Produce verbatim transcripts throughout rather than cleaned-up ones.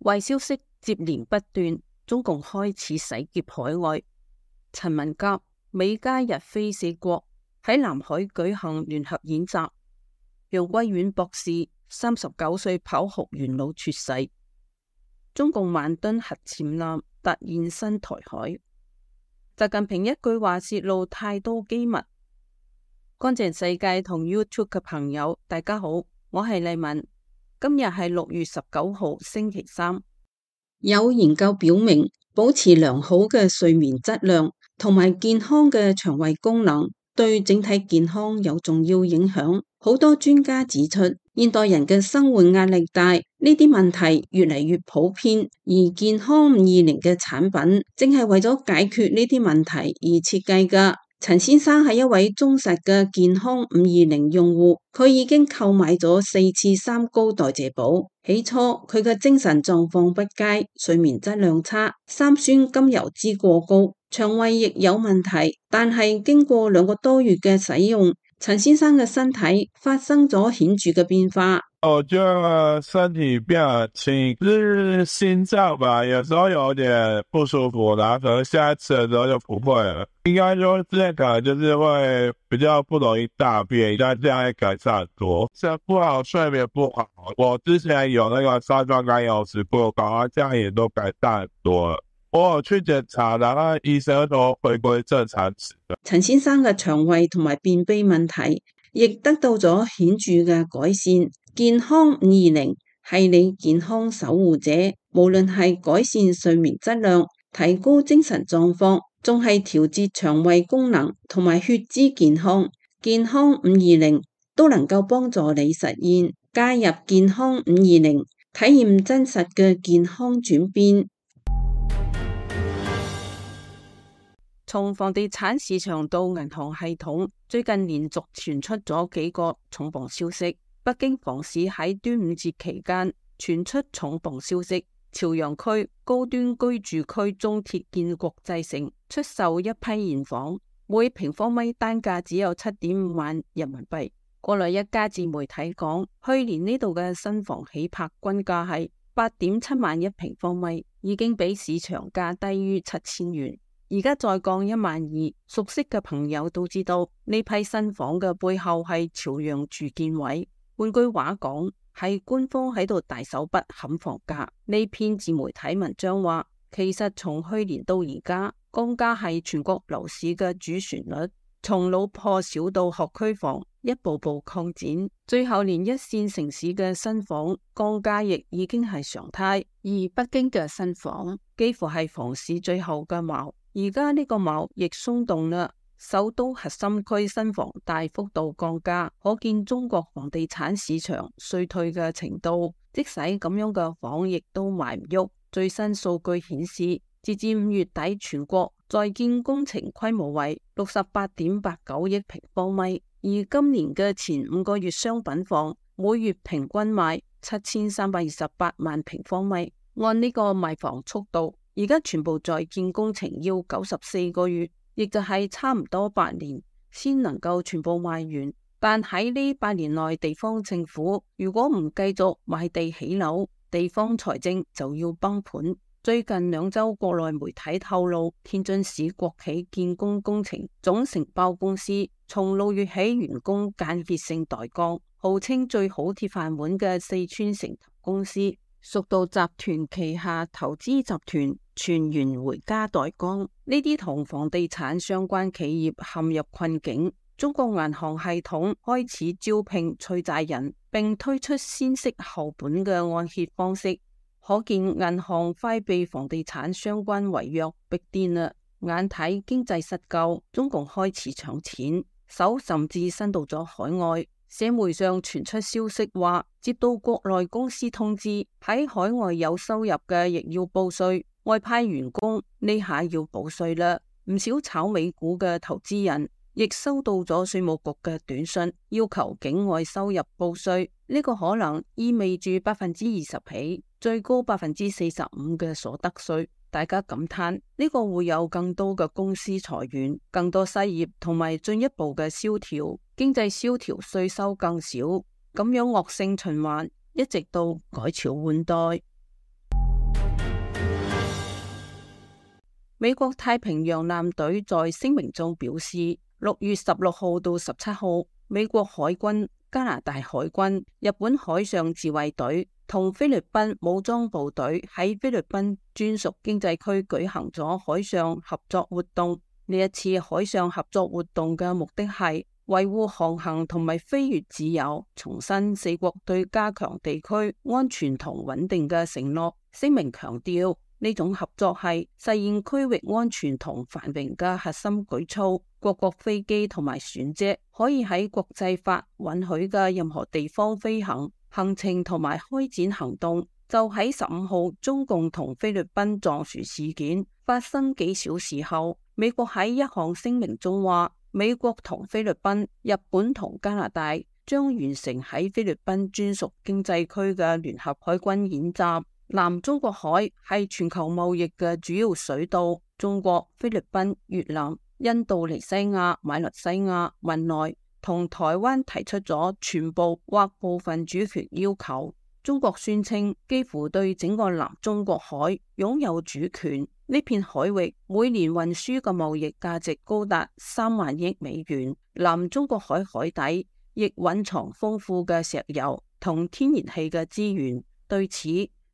壞消息接連不斷，中共開始洗劫海外。陳文甲、美加日菲四國喺南海舉行聯合演習。楊貴遠博士三十九歲跑學元老猝逝。中共萬噸核潛艦突現新台海。習近平一句話泄露太多機密。乾淨世界同 YouTube 嘅朋友，大家好，我係麗文。今日係六月十九號星期三。有研究表明，保持良好嘅睡眠質量同埋健康嘅腸胃功能對整體健康有重要影響。好多專家指出，現代人嘅生活壓力大，呢啲問題越嚟越普遍，而健康五二零嘅產品正係為咗解決呢啲問題而設計㗎。陳先生係一位忠實嘅健康五二零用戶，佢已經購買咗四次三高代謝寶。起初佢嘅精神狀況不佳，睡眠質量差，三酸甘油酯過高，腸胃亦有問題。但係經過兩個多月嘅使用，陳先生嘅身體發生咗顯著嘅變化。我覺得身體變輕，是心臟吧，有時候有點不舒服，然後可能下一次的時候就不會了。應該說之前可能就是會比較不容易大便，但這樣會改善很多。睡不好，睡眠不好，我之前有那個三酸甘油酯過高，這樣也都改善很多了。我有去檢查，然後醫生都回歸正常值。陳先生嘅腸胃同埋便秘問題亦得到咗顯著嘅改善。健康五二零係你健康守護者，無論係改善睡眠質量、提高精神狀況，仲係調節腸胃功能同埋血脂健康，健康五二零都能夠幫助你實現。加入健康五二零，體驗真實嘅健康轉變。從房地產市場到銀行系統，最近連續傳出咗幾個重磅消息。北京房市喺端午節期間傳出重磅消息，朝陽區高端居住區中鐵建國際城出售一批現房，每平方米單價只有七點五萬人民幣。國內一家自媒體講，去年呢度嘅新房起拍均價係八點七萬一平方米，已經比市場價低於七千元。而家再降一萬二，熟悉嘅朋友都知道呢批新房嘅背後係朝陽住建委。換句話講，係官方喺度大手筆砍房價。呢篇自媒體文章話，其實從去年到而家，降價係全國樓市嘅主旋律，從老破小到學區房，一步步擴展，最後連一線城市嘅新房降價亦已經係常態。而北京嘅新房幾乎係房市最後嘅矛，而家呢個矛亦鬆動啦。首都核心區新房大幅度降價，可見中國房地產市場衰退嘅程度。即使咁樣嘅房亦都賣唔喐。最新數據顯示，截至五月底，全國在建工程規模為六十八點八九億平方米，而今年嘅前五個月商品房每月平均賣七千三百二十八萬平方米。按呢個賣房速度，而家全部在建工程要九十四個月。亦就係差唔多八年先能夠全部賣完，但喺呢八年內，地方政府如果唔繼續賣地起樓，地方財政就要崩盤。最近兩周國內媒體透露，天津市國企建工工程總承包公司從六月起員工間歇性待崗，號稱最好鐵飯碗嘅四川成投公司屬道集團旗下投資集團全員回家待崗，呢啲同房地產相關企業陷入困境。中國銀行系統開始招聘催債人，並推出先息後本嘅按揭方式，可見銀行快被房地產相關違約逼癲啦。眼睇經濟失救，中共開始搶錢，手甚至伸到咗海外。社媒上傳出消息話，接到國內公司通知，喺海外有收入嘅亦要報稅，外派員工呢下要報稅啦。唔少炒美股嘅投資人亦收到咗稅務局嘅短信，要求境外收入報稅。呢個可能意味住百分之二十起，最高百分之四十五嘅所得稅。大家感嘆呢個會有更多嘅公司裁員，更多失業，同埋進一步嘅蕭條，經濟蕭條，稅收更少，咁樣惡性循環，一直到改朝換代。美國太平洋艦隊在聲明中表示，六月十六號到十七號，美國海軍、加拿大海軍、日本海上自衛隊同菲律賓武裝部隊喺菲律賓專屬經濟區舉行咗海上合作活動。呢一次海上合作活動嘅目的係維護航行同埋飛越自由，重申四國對加強地區安全同穩定嘅承諾。聲明強調，呢種合作係實現區域安全同繁榮嘅核心舉措。各國飛機同埋船隻可以喺國際法允許嘅任何地方飛行，行程同埋開展行動。就喺十五號中共同菲律賓撞船事件發生幾小時後，美國喺一項聲明中話，美國同菲律賓、日本同加拿大將完成喺菲律賓專屬經濟區嘅聯合海軍演習。南中國海係全球貿易嘅主要水道，中國、菲律賓、越南、印度尼西亞、馬來西亞、文萊同台灣提出咗全部或部分主權要求。中國宣稱幾乎對整個南中國海擁有主權。呢片海域每年運輸嘅貿易價值高達三萬億美元。南中國海海底亦蘊藏豐富嘅石油同天然氣嘅資源。對此，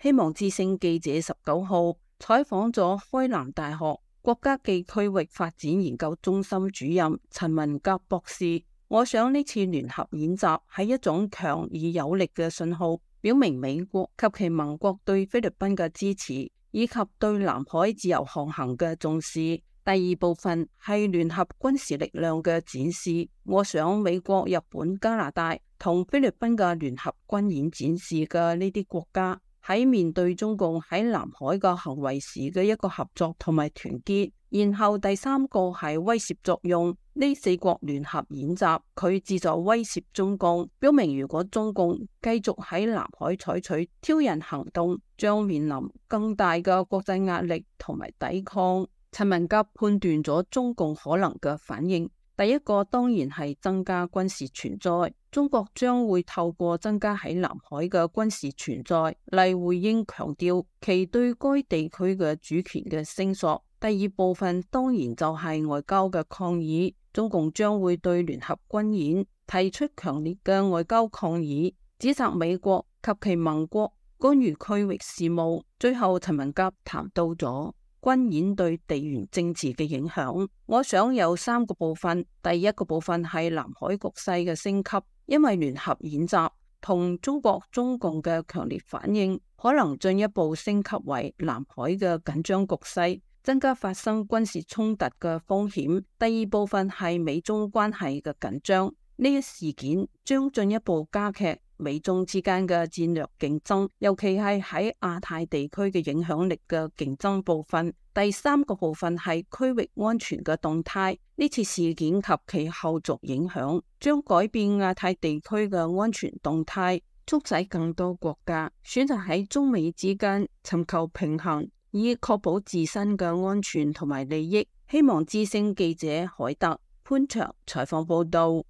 希望之聲記者十九號採訪咗開南大學國家暨區域發展研究中心主任陳文甲博士。我想呢次聯合演習係一種強而有力嘅信號，表明美國及其盟國對菲律賓嘅支持，以及對南海自由航行嘅重視。第二部分係聯合軍事力量嘅展示。我想美國、日本、加拿大同菲律賓嘅聯合軍演展示嘅呢啲國家喺面對中共喺南海嘅行為時嘅一個合作同埋團結。然後第三個係威懾作用。呢四國聯合演習，佢旨在威懾中共，表明如果中共繼續喺南海採取挑釁行動，將面臨更大嘅國際壓力同埋抵抗。陳文甲判斷咗中共可能嘅反應，第一個當然係增加軍事存在。中國將會透過增加喺南海嘅軍事存在嚟回應強調其對該地區嘅主權嘅聲索。第二部分當然就係外交嘅抗議。中共將會對聯合軍演提出強烈嘅外交抗議，指責美國及其盟國干預區域事務。最後，陳文甲談到咗軍演對地緣政治嘅影響。我想有三個部分。第一個部分係南海局勢嘅升級，因為聯合演習同中國中共嘅強烈反應，可能進一步升級為南海嘅緊張局勢，增加發生軍事衝突嘅風險。第二部分係美中關係嘅緊張，呢一事件將進一步加劇美中之間嘅戰略競爭，尤其係喺亞太地區嘅影響力嘅競爭部分。第三個部分係區域安全嘅動態，呢次事件及其後續影響將改變亞太地區嘅安全動態，促使更多國家選擇喺中美之間尋求平衡，以確保自身嘅安全同埋利益。希望之聲記者海特潘長採訪報道。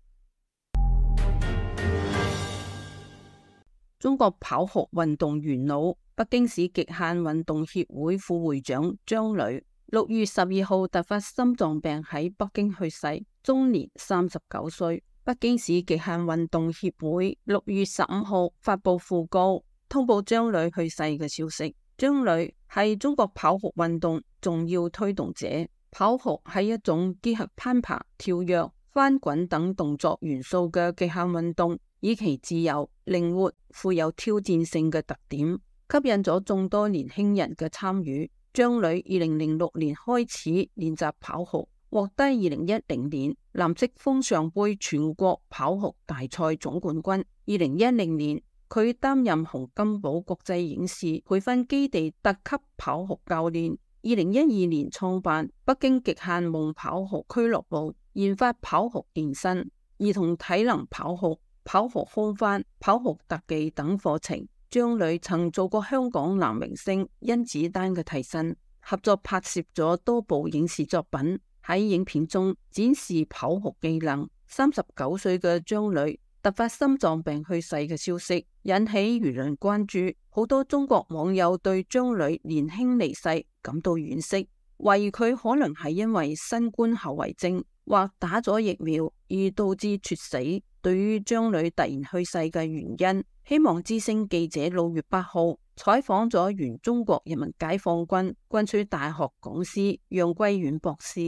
中國跑酷運動元老、北京市極限運動協會副會長張磊，六月十二號突發心臟病喺北京去世，終年三十九歲。北京市極限運動協會六月十五號發佈訃告，通報張磊去世嘅消息。張磊係中國跑酷運動重要推動者。跑酷係一種結合攀爬、跳躍、翻滾等動作元素嘅極限運動，以其自由、靈活、富有挑戰性嘅特點，吸引咗眾多年輕人嘅參與。張磊二零零六年開始練習跑酷，獲得二零一零年藍色風尚杯全國跑酷大賽總冠軍。二零一零年，佢擔任洪金寶國際影視培訓基地特級跑酷教練。二零一二年創辦北京極限夢跑酷俱樂部，研發跑酷健身、兒童體能跑酷、跑酷空翻、跑酷特技等課程。張磊曾做過香港男明星甄子丹嘅替身，合作拍攝咗多部影視作品，喺影片中展示跑酷技能。三十九歲嘅張磊突發心臟病去世嘅消息引起輿論關注，好多中國網友對張磊年輕離世感到惋惜。懷疑佢可能係因為新冠後遺症或打咗疫苗而導致猝死。對於張女突然去世嘅原因，希望之聲記者六月八號採訪咗原中國人民解放軍軍區大學講師楊貴遠博士，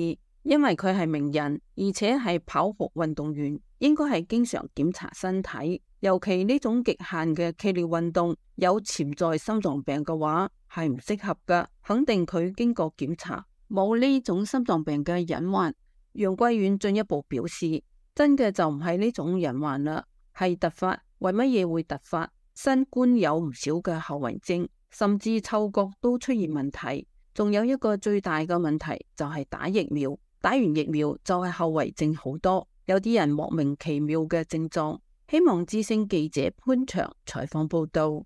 因為佢係名人，而且係跑酷運動員，應該係經常檢查身體，尤其呢種極限嘅劇烈運動，有潛在心臟病嘅話係唔適合噶。肯定佢經過檢查，冇呢種心臟病嘅隱患。楊貴遠進一步表示，真嘅就唔係呢種隱患啦，係突發。為乜嘢會突發？新冠有唔少嘅後遺症，甚至嗅覺都出現問題。仲有一個最大嘅問題就係打疫苗，打完疫苗就係後遺症好多，有啲人莫名其妙嘅症狀。希望之聲記者潘祥採訪報道。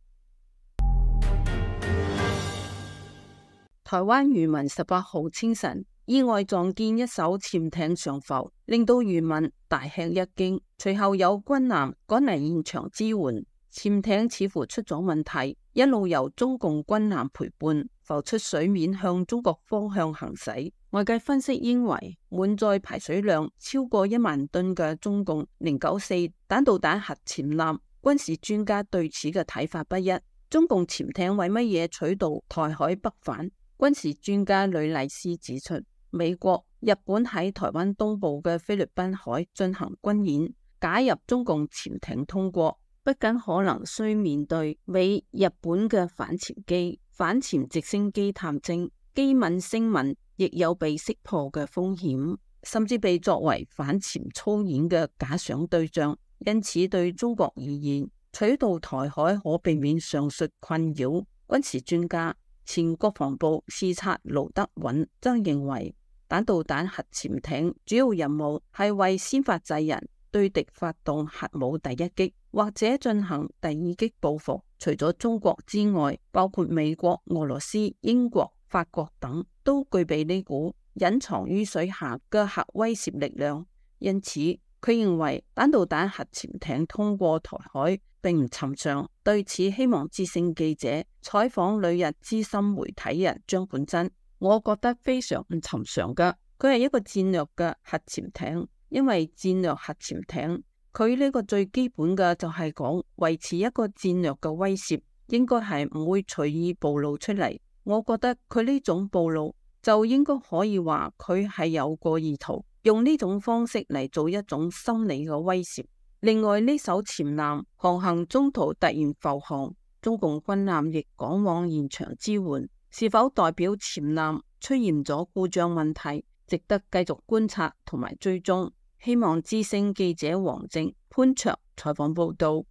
台灣漁民十八號清晨意外撞見一艘潛艇上浮，令到漁民大吃一驚。隨後有軍艦趕嚟現場支援，潛艇似乎出咗問題，一路由中共軍艦陪伴浮出水面，向中國方向行駛。外界分析認為，滿載排水量超過一萬噸嘅中共零九四彈道彈核潛艦，軍事專家對此嘅睇法不一。中共潛艇為乜嘢取道台海北返？軍事專家呂麗斯指出，美國、日本喺台灣東部嘅菲律賓海進行軍演，假入中共潛艇通過，不僅可能需面對美、日本嘅反潛機、反潛直升機探偵、機敏聲紋，亦有被識破嘅風險，甚至被作為反潛操演嘅假想對象。因此，對中國而言，取道台海可避免上述困擾。軍事專家、前國防部視察盧德允則認為，彈道彈核潛艇主要任務係為先發制人，對敵發動核武第一擊，或者進行第二擊報復。除咗中國之外，包括美國、俄羅斯、英國、法國等都具備呢股隱藏於水下嘅核威懾力量。因此，佢認為彈道彈核潛艇通過台海並唔尋常。對此，希望之聲記者採訪旅日資深媒體人張本真，我覺得非常唔尋常噶。佢係一個戰略嘅核潛艇，因為戰略核潛艇佢呢個最基本嘅就係講維持一個戰略嘅威懾，應該係唔會隨意暴露出嚟。我覺得佢呢種暴露就應該可以話佢係有個意圖，用呢種方式嚟做一種心理嘅威懾。另外，呢艘潛艦航行中途突然浮航，中共軍艦亦趕往現場支援，是否代表潛艦出現咗故障問題，值得繼續觀察同埋追蹤。希望之聲記者王靖、潘卓採訪報道。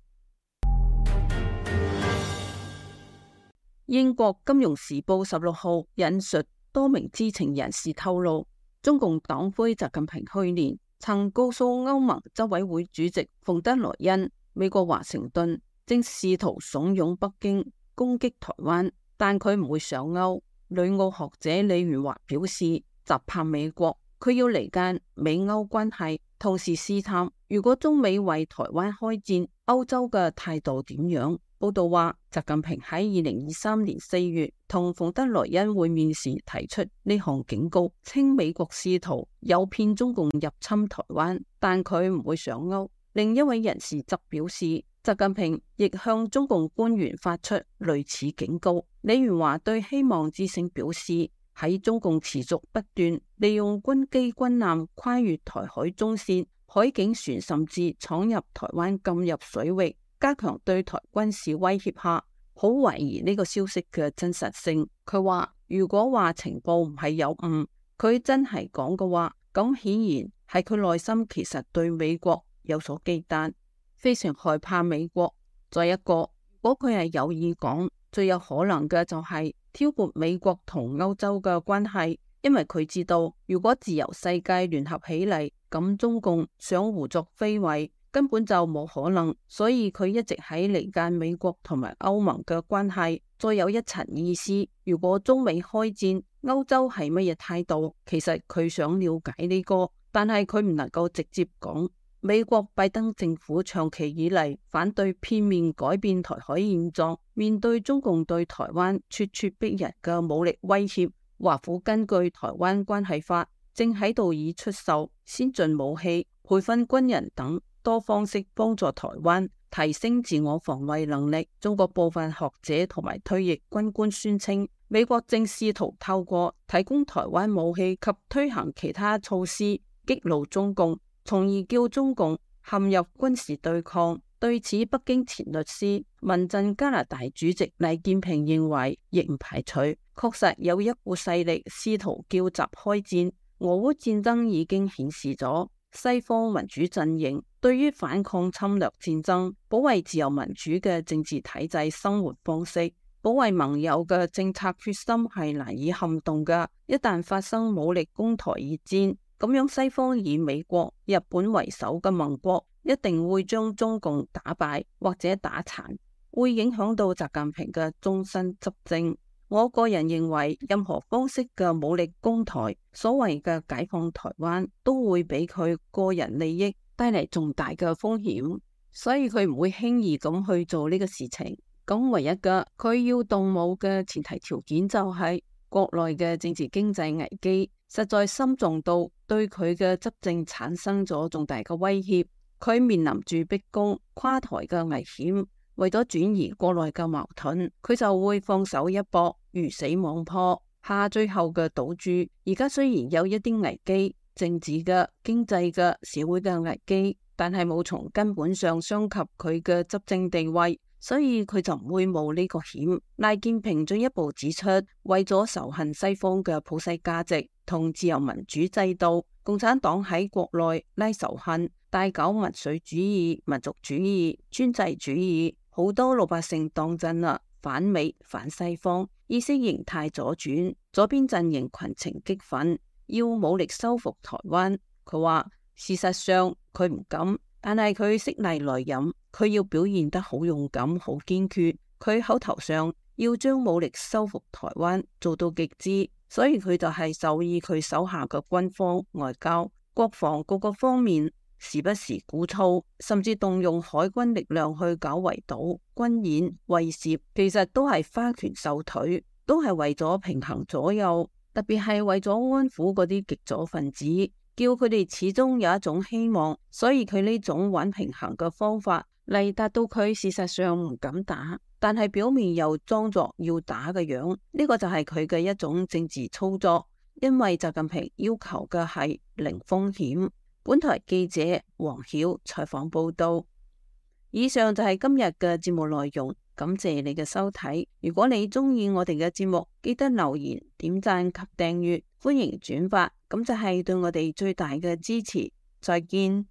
英國金融時報十六號引述多名知情人士透露，中共黨魁習近平去年曾告訴歐盟執委會主席馮德萊恩，美國華盛頓正試圖慫恿北京攻擊台灣，但佢唔會上鈎。旅澳學者李元華表示，習怕美國，佢要離間美歐關係，同時試探如果中美為台灣開戰，歐洲嘅態度點樣。報道話，習近平喺二零二三年四月同馮德萊恩會面時提出呢項警告，稱美國試圖誘騙中共入侵台灣，但佢唔會上鈎。另一位人士則表示，習近平亦向中共官員發出類似警告。李元華對希望之聲表示，喺中共持續不斷利用軍機軍艦跨越台海中線，海警船甚至闖入台灣禁入水域，加強對台軍事威脅下，好懷疑呢個消息嘅真實性。佢話如果話情報唔係有誤，佢真係講嘅話，咁顯然係佢內心其實對美國有所忌憚，非常害怕美國。再一個，如果佢係有意講，最有可能嘅就係挑撥美國同歐洲嘅關係，因為佢知道如果自由世界聯合起嚟，咁中共想胡作非為根本就冇可能，所以佢一直喺離間美國同埋歐盟嘅關係。再有一層意思，如果中美開戰，歐洲係乜嘢態度？其實佢想了解呢個，但係佢唔能夠直接講。美國拜登政府長期以嚟反對片面改變台海現狀，面對中共對台灣咄咄逼人嘅武力威脅，華府根據台灣關係法，正喺度以出售先進武器、培訓軍人等多方式幫助台灣提升自我防衛能力。中國部分學者同埋退役軍官宣稱，美國正試圖透過提供台灣武器及推行其他措施激怒中共，從而叫中共陷入軍事對抗。對此，北京前律師、民陣加拿大主席黎建平認為，亦唔排除確實有一股勢力試圖叫集開戰。俄烏戰爭已經顯示咗西方民主陣營對於反抗侵略戰爭、保衛自由民主嘅政治體制生活方式、保衛盟友嘅政策決心係難以撼動嘅。一旦發生武力攻台熱戰，咁樣西方以美國、日本為首嘅盟國一定會將中共打敗或者打殘，會影響到習近平嘅終身執政。我個人認為，任何方式嘅武力攻台，所謂嘅解放台灣，都會俾佢個人利益帶嚟重大嘅風險，所以佢唔會輕易咁去做呢個事情。咁唯一嘅佢要動武嘅前提條件就係國內嘅政治經濟危機實在深重到對佢嘅執政產生咗重大嘅威脅，佢面臨住逼宮垮台嘅危險。為咗轉移國內嘅矛盾，佢就會放手一搏，魚死網破，下最後嘅賭注。而家雖然有一啲危機，政治嘅、經濟嘅、社會嘅危機，但係冇從根本上傷及佢嘅執政地位，所以佢就唔會冒呢個險。賴建平進一步指出，為咗仇恨西方嘅普世價值同自由民主制度，共產黨喺國內拉仇恨，大搞民粹主義、民族主義、專制主義。好多老百姓當真啦，反美反西方，意識形態左轉，左邊陣營群情激憤，要武力收復台灣。佢話事實上佢唔敢，但係佢識逆來忍，佢要表現得好勇敢、好堅決。佢口頭上要將武力收復台灣做到極致，所以佢就係授意佢手下嘅軍方、外交、國防各個方面，時不時鼓噪，甚至動用海軍力量去搞圍堵、軍演、威懾，其實都係花拳繡腿，都係為咗平衡左右，特別係為咗安撫嗰啲極左分子，叫佢哋始終有一種希望。所以佢呢種玩平衡嘅方法嚟達到佢事實上唔敢打，但係表面又裝作要打嘅樣，呢個就係佢嘅一種政治操作。因為習近平要求嘅係零風險。本台記者黃曉採訪報道。以上就係今日嘅節目內容，感謝你嘅收睇。如果你中意我哋嘅節目，記得留言、點讚及訂閱，歡迎轉發，咁就係對我哋最大嘅支持。再見。